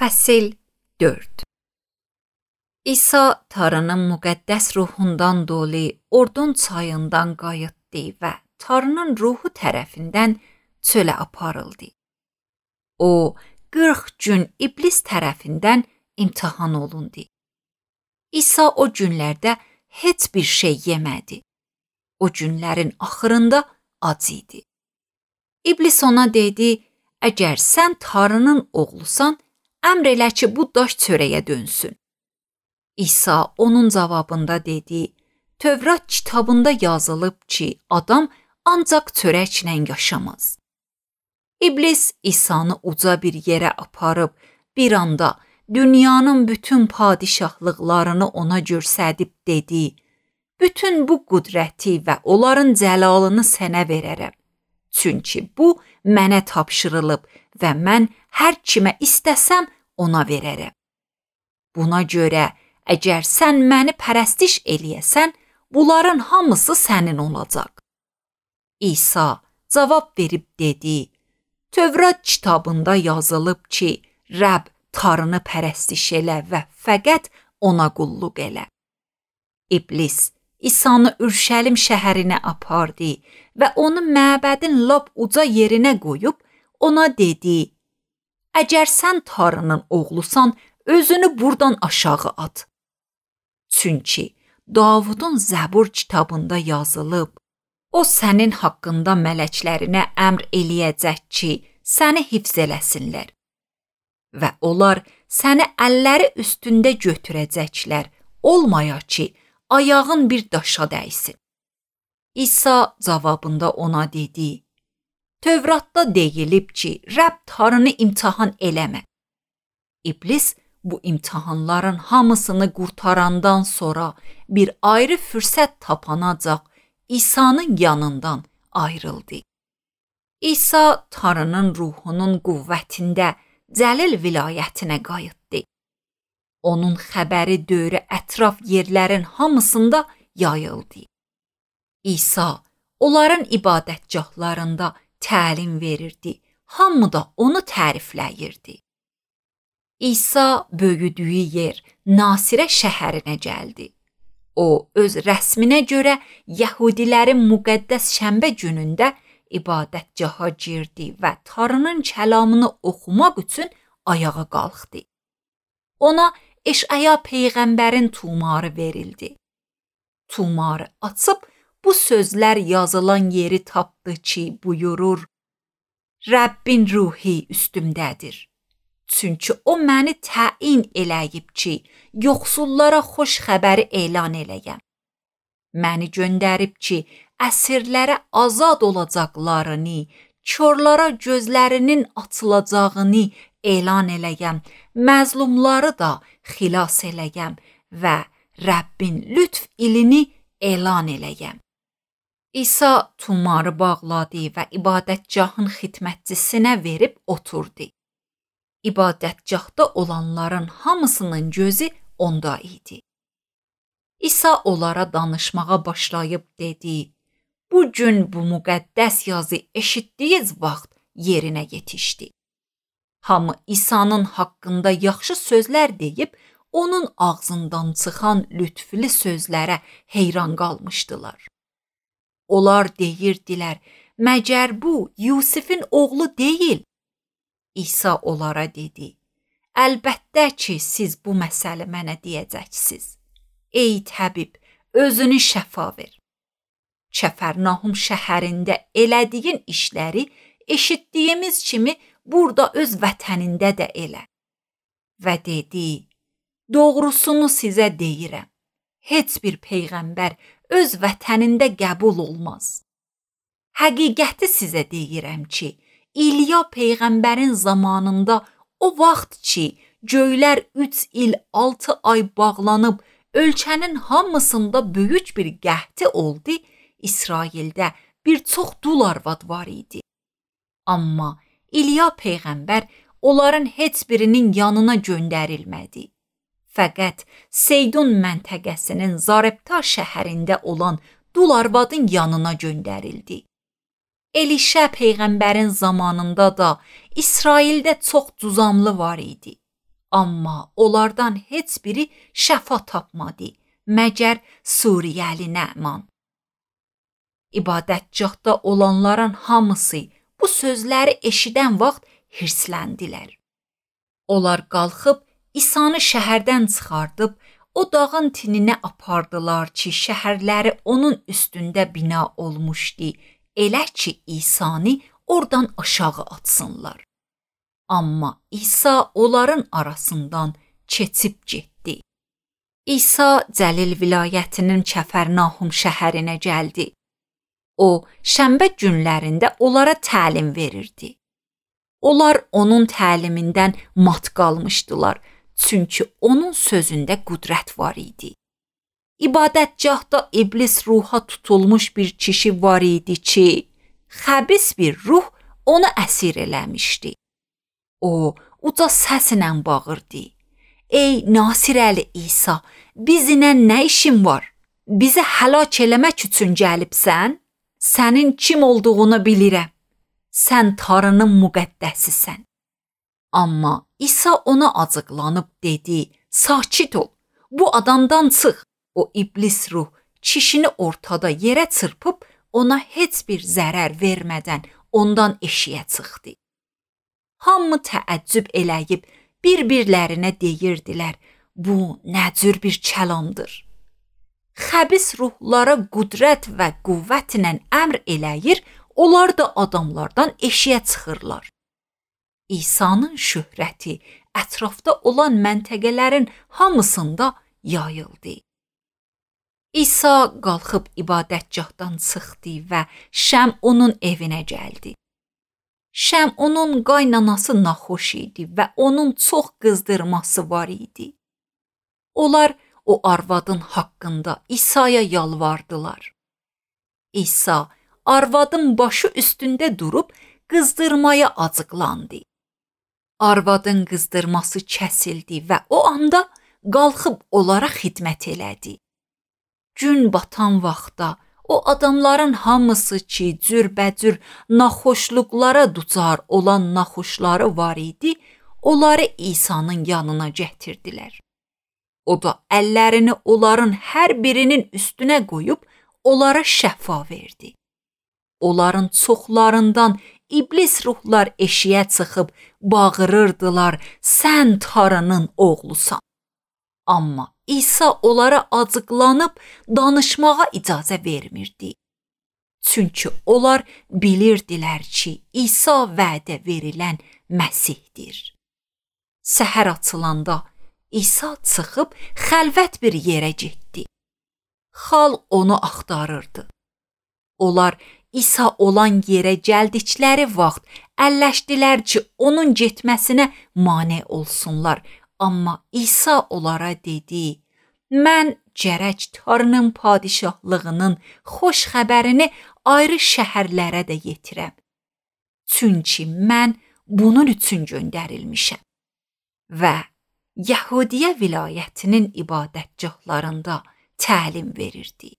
Fəsil 4. İsa Tanrının müqəddəs ruhundan dolu Ordon çayından qayıtdı və Tanrının ruhu tərəfindən çölə aparıldı. O, 40 gün iblis tərəfindən imtahan olundu. İsa o günlərdə heç bir şey yemədi. O günlərin axırında ac idi. İblis ona dedi, əgər sən Tanrının oğlusan, əmr elə ki, bu daş çörəyə dönsün. İsa onun cavabında dedi, Tövrat kitabında yazılıb ki, adam ancaq çörəklə yaşamaz. İblis İsanı uca bir yerə aparıb, bir anda dünyanın bütün padişahlıqlarını ona göstərib dedi, bütün bu qüdrəti və onların cəlalını sənə verərəm. Çünki bu mənə tapşırılıb və mən hər kimə istəsəm ona verərəm. Buna görə, əgər sən məni pərəstiş eləyəsən, bunların hamısı sənin olacaq. İsa cavab verib dedi, Tövrat kitabında yazılıb ki, Rəbb Tanrını pərəstiş elə və fəqət ona qulluq elə. İblis İsanı Ürşəlim şəhərinə apardı və onu məbədin lap uca yerinə qoyub, ona dedi, əgər sən Tanrının oğlusan, özünü buradan aşağı at. Çünki Davudun Zəbur kitabında yazılıb, o sənin haqqında mələklərinə əmr eləyəcək ki, səni hifz eləsinlər. Və onlar səni əlləri üstündə götürəcəklər, olmaya ki, ayağın bir daşa dəysin. İsa cavabında ona dedi, Tövratda deyilib ki, Rəbb Tanrını imtahan eləmə. İblis bu imtahanların hamısını qurtarandan sonra bir ayrı fürsət tapanacaq İsa'nın yanından ayrıldı. İsa Tanrının ruhunun qüvvətində Cəlil vilayətinə qayıtdı. Onun xəbəri dövrü ətraf yerlərin hamısında yayıldı. İsa onların ibadətgahlarında təlim verirdi, hamı da onu tərifləyirdi. İsa böyüdüyü yer Nasirə şəhərinə gəldi. O, öz rəsminə görə Yəhudilərin müqəddəs şənbə günündə ibadətgaha girdi və Tanrının kəlamını oxumaq üçün ayağa qalxdı. Ona Eşaya peyğəmbərin tumarı verildi. Tumarı açıb bu sözlər yazılan yeri tapdı ki, buyurur, Rəbbin ruhi üstümdədir. Çünki o məni təyin eləyib ki, yoxsullara xoş xəbəri elan eləyəm. Məni göndərib ki, əsirlərə azad olacaqlarını, körlara gözlərinin açılacağını elan eləyəm, məzlumları da xilas eləyəm və Rəbbin lütf ilini elan eləyəm. İsa tumarı bağladı və ibadətgahın xidmətçisinə verib oturdu. İbadətgahda olanların hamısının gözü onda idi. İsa onlara danışmağa başlayıb dedi, bu gün bu müqəddəs yazı eşitdiyiniz vaxt yerinə yetişdi. Hamı İsa'nın haqqında yaxşı sözlər deyib, onun ağzından çıxan lütflü sözlərə heyran qalmışdılar. Onlar deyirdilər, məgər bu Yusifin oğlu deyil? İsa onlara dedi, əlbəttə ki, siz bu məsələ mənə deyəcəksiniz. Ey təbib, özünü şəfa ver. Kəfərnahum şəhərində elədiyin işləri eşitdiyimiz kimi burada öz vətənində də elə. Və dedi, doğrusunu sizə deyirəm, heç bir peyğəmbər öz vətənində qəbul olmaz. Həqiqəti sizə deyirəm ki, İlya peyğəmbərin zamanında o vaxt ki, göylər 3 il 6 ay bağlanıb, ölkənin hamısında böyük bir qəhti oldu, İsraildə bir çox dul arvad var idi. Amma İlya peyğəmbər onların heç birinin yanına göndərilmədi. Fəqət Seydun məntəqəsinin Zarepta şəhərində olan dul arvadın yanına göndərildi. Elişə peyğəmbərin zamanında da İsraildə çox cüzamlı var idi. Amma onlardan heç biri şəfa tapmadı, məgər Suriyəli Nəman. İbadətgahda olanların hamısı bu sözləri eşidən vaxt hirsləndilər. Onlar qalxıb İsanı şəhərdən çıxardıb o dağın tininə apardılar ki, şəhərləri onun üstündə bina olmuşdu, elə ki İsanı oradan aşağı atsınlar. Amma İsa onların arasından keçib getdi. İsa Cəlil vilayətinin Kəfərnahum şəhərinə gəldi. O, şənbə günlərində onlara təlim verirdi. Onlar onun təlimindən mat qalmışdılar, çünki onun sözündə qüdrət var idi. İbadətgahda iblis ruha tutulmuş bir kişi var idi ki, xəbis bir ruh onu əsir eləmişdi. O, uca səslə bağırdı. Ey Nasirəli İsa, bizlə nə işin var? Bizi həlak eləmək üçün gəlibsən? Sənin kim olduğunu bilirəm. Sən Tanrının müqəddəsisən. Amma İsa ona acıqlanıb dedi, sakit ol, bu adamdan çıx. O iblis ruh kişini ortada yerə çırpıb ona heç bir zərər vermədən ondan eşiyə çıxdı. Hamı təəccüb eləyib bir-birlərinə deyirdilər, bu nə cür bir kəlamdır. Xəbis ruhlara qüdrət və qüvvətlə əmr eləyir, onlar da adamlardan eşiyə çıxırlar. İsa'nın şöhrəti ətrafda olan məntəqələrin hamısında yayıldı. İsa qalxıb ibadətgahdan çıxdı və Şəm onun evinə gəldi. Şəm onun qaynanası naxoş idi və onun çox qızdırması var idi. Onlar o arvadın haqqında İsa'ya yalvardılar. İsa arvadın başı üstündə durub qızdırmaya acıqlandı. Arvadın qızdırması kəsildi və o anda qalxıb onlara xidmət elədi. Gün batan vaxtda o adamların hamısı ki, cürbəcür naxoşluqlara duçar olan naxoşları var idi, onları İsa'nın yanına gətirdilər. O da əllərini onların hər birinin üstünə qoyub, onlara şəfa verdi. Onların çoxlarından iblis ruhlar eşiyə çıxıb bağırırdılar, sən Tanrının oğlusan. Amma İsa onlara acıqlanıb danışmağa icazə vermirdi. Çünki onlar bilirdilər ki, İsa vədə verilən Məsihdir. Səhər açılanda İsa çıxıb xəlvət bir yerə getdi. Xalq onu axtarırdı. Onlar İsa olan yerə gəldikləri vaxt əlləşdilər ki, onun getməsinə mane olsunlar. Amma İsa onlara dedi, mən gərək Tanrının padişahlığının xoş xəbərini ayrı şəhərlərə də yetirəm. Çünki mən bunun üçün göndərilmişəm. Və Yahudiyə vilayətinin ibadətgahlarında təlim verirdi.